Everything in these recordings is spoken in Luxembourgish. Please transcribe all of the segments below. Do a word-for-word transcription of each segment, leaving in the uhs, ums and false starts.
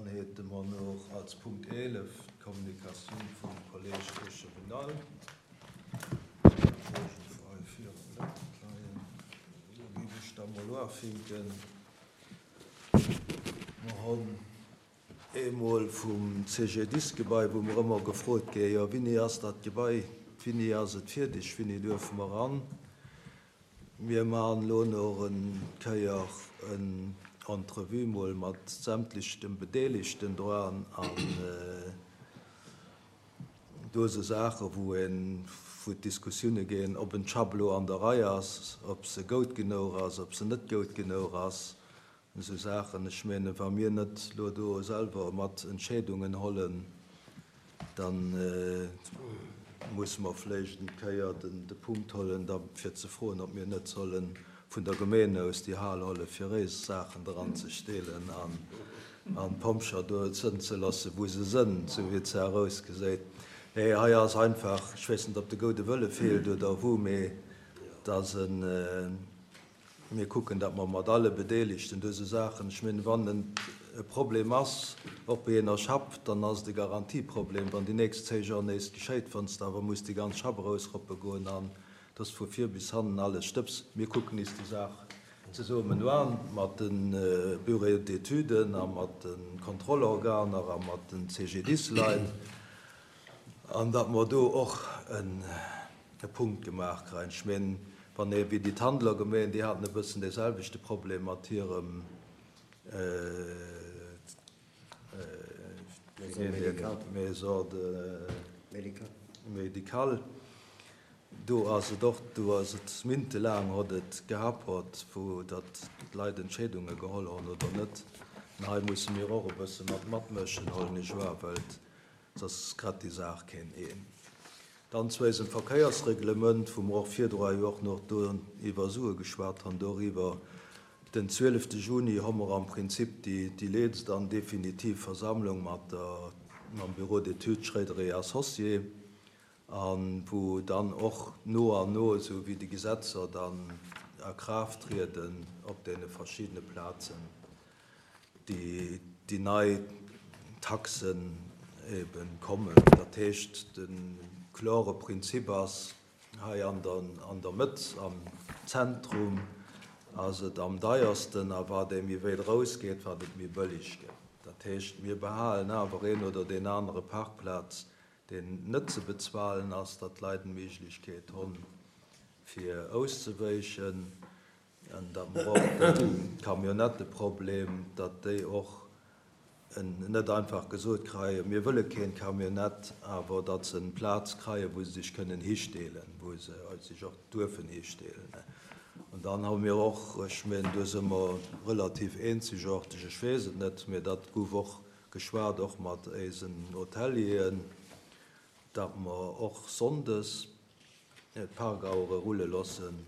Dann hätte mer nach als Punkt eelef d'Kommunikatioun vum Kolleg Echevenal. Do géif ech da mol uafinken. Mer hunn eemol vum C G D I S-Gebai, wou mer ëmmer gefrot gi, jo, wéini ass dat Gebai, wéini ass et fierdeg, wéini duerfe mer ran. Mir maachen elo nach eng Kéier eng Entrevue mol mat sämtlechen Bedeelegten dran an do si Saache wou een wou d'Diskussioune ginn, ob en Schapp lo an der Rei ass, ob se goud genuch ass, ob se net goud genuch ass, esou Saachen. Ech menge wa mir net lo do selwer mat Entscheedungen hollen, dann musse mer vläicht eng Kéier den de Punkt hollen, da fir ze froen, ob mir net solle vun der Gemeen aus déi Hal holle fir eis Saachen dran ze stellen an an d'Pompjer do sënn ze loosse wou se sënn, sou wéi et se erausgeséit. Nee, hei ass einfach, ech weess net, ob de goude Wëlle feelt oder wou, mee dass en mir kucken, datt mer mat alle Bedeelegten dëse Saachen, ech mengen, wann en e Problem ass op enger Schapp, dann ass et e Garantieproblem, wann déi nächst zéng Joer nees geschéit, wann s de awer muss déi ganz Schapp erausroppe goen an dass vu vir bis hannen alles Stëbs. Mir kucken is déi Saach zesummen an mat de Bureau d'études a mat de Kontrollorganer a mat den C G D I S-Leit an datt mer do och en e Punkt gemaach kréien. Ech mengen, wann ee wéi déi Tandler Gemeen, déi haten e bëssen dee selwechte Problem mat hirem äh, Maison de médicale. Do ass et och, do ass et méintelaang huet et gehapert, wou datt d'Leit Entscheedunge geholl hunn oder net. An hei musse mir och e bësse mat matmëschen, hollen ech wahr, well soss grad déi Saach keen een. Dann zu eisem Verkéiersreglement, wou mer och virdru jo och nach do iwwer Sue geschwat hunn, doriwwer. Den zwielefte Juni hu mer am Prinzip déi déi letzte dann definitiv Versammlung mat der mam Bureau d'études Schroeder et Associés, an wou dann och no an no, sou wéi déi Gesetzer dann a Kraaft trieden op deene verschiddene Plazen, déi déi nei Taxen eben kommen. Dat heescht, de klore Prinzip ass hei an der an der Mëtt am Zentrum ass et am deiersten, a wat ee méi wéit rausgeet, wat et méi bëlleg gëtt. Dat heescht, mir behalen awer een oder deen anere Parkplaz, deen net ze bezuelen ass, datt d'Leit d'Méiglechkeet hunn fir auszeweichen, an datt mer och de Camionnetteproblem, datt déi och net einfach gesot kréien, mir wëlle keen Camionnette, awer datt se eng Plaz kréien, wou se sech kënnen histellen, wou se sech och duerfen histellen. An dann hu mir och, ech mengen, do si mer relativ eenzegaarteg, ech weess et net, mee dat gouf och geschwat, och mat eisen Hotelieren, datt mer och sonndes d'Parkauere rulle loossen.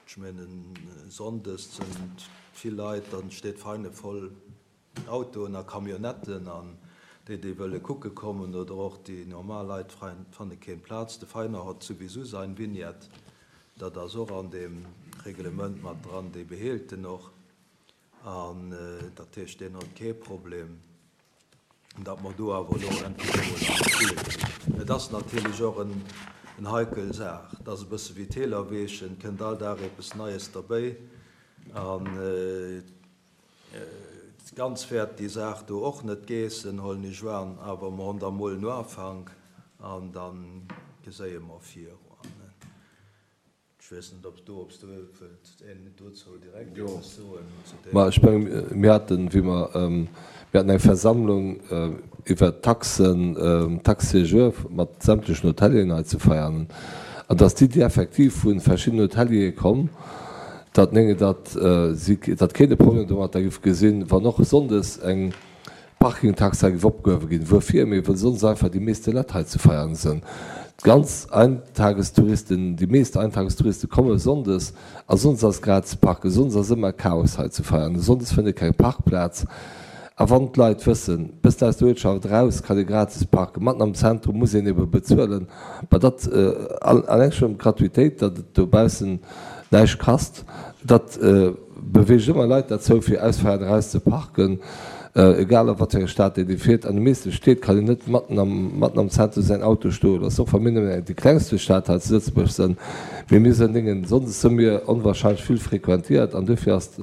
Ech mengen, sonndes sinn vill Leit, dann steet Veinen voll Autoen a Camionnetten an déi déi wëlle kucke kommen oder och déi normal Leit fanne keng Plaz. De Veiner huet souwisou säin Vignette, dat ass och an deem Reglement mat dran, déi behélt en och an dat heescht, deen huet kee Problem, datt mer do awer elo endlech emol an d'Rulle kritt. Et ass natierlech och en en heikel Saach, et ass e bësse wéi d'Tälerweechen, kënnt all Dag eppes Neies derbäi an ganz wäert déi Saach do och net geessen, hollen ech an, awer mer hunn da mol en Ufank an da geséie mer virun. Ech weess net, ob du ob s du wëllt een dozou direkt eppes soen zu deem. Ma ech mengen, mir haten, wéi mer, mir haten eng Versammlung iwwert d'Taxen, Taxe séjour mat sämtlechen Hotelieren hei zu Veianen, an dass d'Iddi effektiv vu verschiddenen Hoteliere komm, datt nénge datt si datt keen e Problem domatter géif gesinn, wann och sonndes eng Parkingtax hei géif opgehuewe ginn. Wuerfir? Mee wëll sonndes einfach déi meeste Leit hei zu Veianen sinn. D'ganz Eintagestouristen, déi meest Eintagestouriste komme sonndes a sonndes ass gratis parken. Sonndes ass ëmmer Chaos hei zu Veianen. Sonndes fënnt ee keng Parkplaz. A wann d'Leit wëssen, bëssen aus der Uertschaft eraus kann ee gratis parken, matten am Zentrum muss een ebe bezuelen, ma dat alleng schonn d'Gratuitéit, datt et dobaussen näischt kasst, dat beweegt ëmmer Leit derzou fir aus Veianen eraus ze parken. Egal a wat fir eng Stad een fiert, an de meeschte Stied kann een net matten am, matten am Zentrum säin Auto stoe loossen, och wa mir nëmmen déi klengste Stad hei zu Lëtzebuerg sënn. Mee mir sënn Déngen, sonndes së mir onwahrscheinlech vill frequentiert an duerfir ass,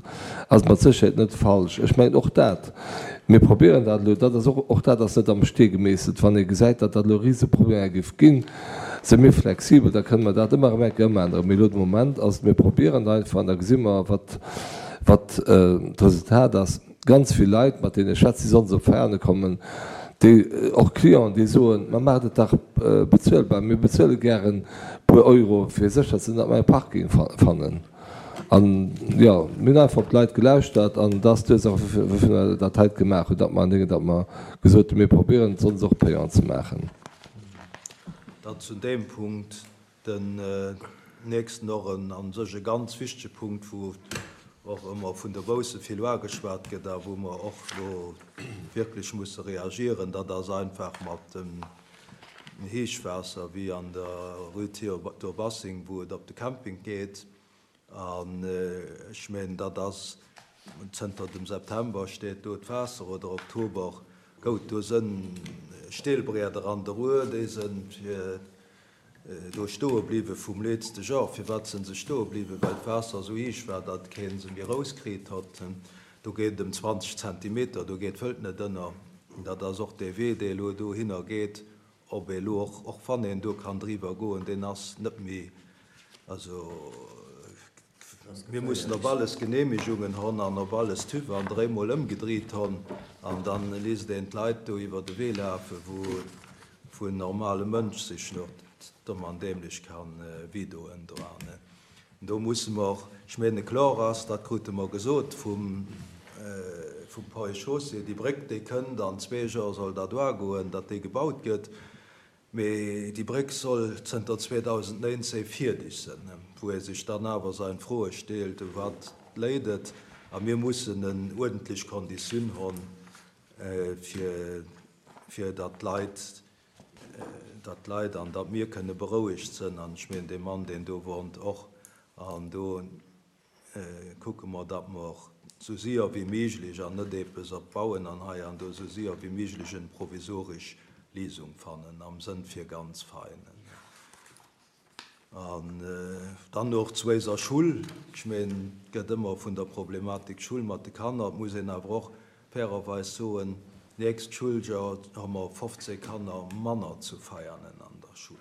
ass et mat Sécherheet net falsch. Ech mengen och dat, mir probieren dat elo, dat ass och, och dat ass net am Stee gemeesselt. Wann ee gesäit, datt dat elo Riseproblemer géif ginn, së mir flexibel, da kënne mer dat ëmmer erëm eng Kéier ëmänneren. Mee elo de Moment ass et, mir probieren einfach an da gesi mer, wat, wat d'Resultat ass. Ganz vill Leit, mat deene ech schwätze, déi sonndes op Veiane kommen, déi, och Clienten, déi soen, Ma maacht et dach bezuelbar, mir bezuele gären e puer Euro, fir sécher ze sinn, datt mer e Parking fannen. An, jo, mir hunn einfach op d'Leit gelauschtert an dat ass d'Ursaach, woufir mer dat heite gemaach hunn, datt mer, datt mer gesot hunn, mir probieren et sonndes och payant ze maachen. Dann zu deem Punkt den nächsten, och en a sech e ganz wichtege Punkt, wou och ëmmer vun der Bousse vill uageschwat gëtt a wou mer och elo wierklech musse reagieren, dat ass einfach mat dem Héichwaasser wéi an der Rue Théodore Bassing, wou et op de Camping geet. An ech mengen, dat ass zënter dem September steet do d'Waasser, oder Oktober. Gout, do sënn Steelbrieder an der Rue, déi sënn fir do stoe bliwwe vum letzte Joer. Firwat sinn se stoe bliwwen? Well d'Waasser esou héich war, datt kee se méi erauskritt hott. Do geet et ëm zwanzeg Zentimeter, do geet d'Wëld net ënner. Dat ass och dee Wee, dee elo dohinner geet, ob ee elo och, och wann een do kann driwwer goen, deen ass net méi, also mir mussen op alles Genehmigungen hon an op alles TÜV an dréimol ëmgedriit hon an dann léisst een d'Leit do iwwer de Wee lafen, wou wou en normale Mënsch sech nach domm an dämlech kann widoen dran. Do musse mer, ech menge kloer ass, dat krute mer gesot vum vum Ponts et Chaussées, déi Bréck déi kënnt an zwee Joer soll dat uagoen, datt déi gebaut gëtt, mee déi Bréck soll zënter zweedausendnéinzéng fierdeg sënn, wou ee sech dann awer sein Froe steelt, u wat léit et, a mir mussen en uerdentlech Konditioun honn fir fir datt d'Leit datt d'Leit an datt mir kënne berouegt sënn, an ech mengen dee Mann, deen do wonnt, och. An do kucke mer, datt mer esou séier wéi méiglech, an net eppes op bauen an hei an do, esou séier wéi méiglech en provisoresch Léisung fannen am Sënn fir ganz Veinen. An dann och zu eiser Schull. Ech mengen, et gëtt ëmmer vun der Problematik Schull mat de Kanner. Et muss een awer och fairerweis soen, Nächst Schulljoer hu mer fofzéng Kanner manner zu Veianen an der Schull.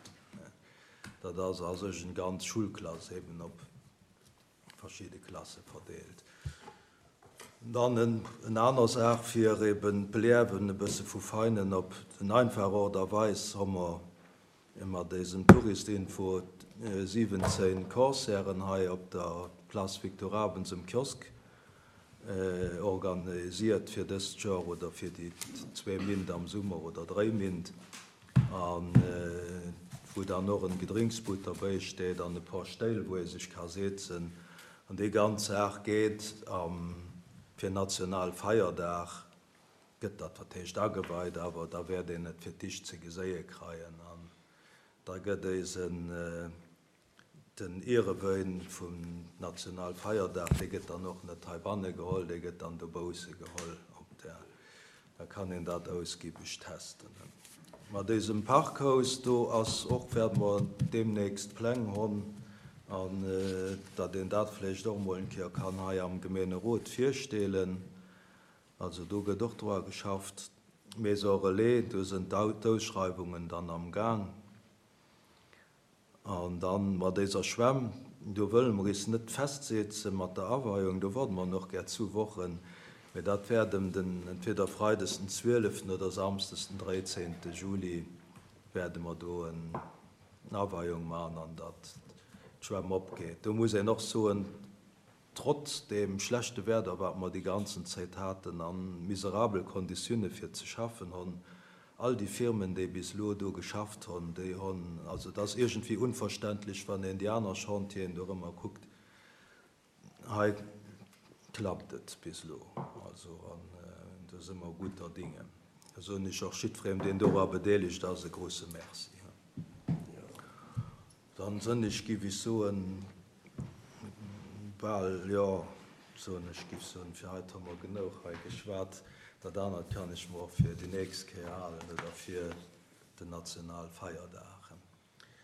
Dat ass a sech eng ganz Schullklass eben op verschidde Klasse verdeelt. Dann en aner Saach, fir eben d'Beliewen e bësse vu Veinen op en einfach Ort a Weis hu mer mat désem Touristinfo siwwenzéng Concerten hei op der Place Victor Abens um Kiosk organisiert fir dëst Joer oder fir déi zwee Mint am Summer oder dréi Mint, a wou dann och en Gedrinksbud derbäi steet an e paar Stéil, wou ee sech ka setzen. An déi ganz Saach geet am fir Nationalfeierdag gëtt dat wat heescht ageweit, awer da wäert een et fir d'éischt ze geséie kreien an da gëtt éisen Den Ierewëin vum Nationalfeierdag, dee gëtt dann och net heibanne geholl, dee gëtt dann dobausse geholl op der, da kann een dat ausgiebig testen. Mat désem Parkhaus do ass och, wäerte mer deemnächst Pläng honn, an datt een dat vläicht och emol eng Kéier kann hei am Gemeenerot virstellen. Also do gëtt och dra geschafft. Maison Relais, do sinn d'Ausschreiwungen dann am Gaang. An dann mat éiser Schwämm, do wëlle mer is net festsetzen mat der Aweiung, do warde mer nach gär zu Wochen, mä dat wäert em den, entweder freides den zwieleften oder samsdes den dréizéngte Juli wäerte mer do en Aweiung man an datt d'Schwämm opgeet. Do muss een och soen, trotz deem schlechte Werder, wat mer déi ganzen Zéit haten a miserabel Konditione fir ze schaffen honn, all déi Firmen, déi bis elo do geschafft honn, déi honn, also et ass iergendwéi unverständlech, wann een déi aner Chantieren do erëmmer kuckt, hei klappt et bis elo, also an do si mer guter Dinge. Da soen ech och jiddwerem, deen dora bedeelegt ass, e grouse Merci. Dann sënn ech, giff ech soen, bal, jo, soen ech, giff soen, fir heit hu mer genouch hei geschwat. Dat anert kann ech mer och fir déi nächst Kéier halen oder fir den Nationalfeierdag.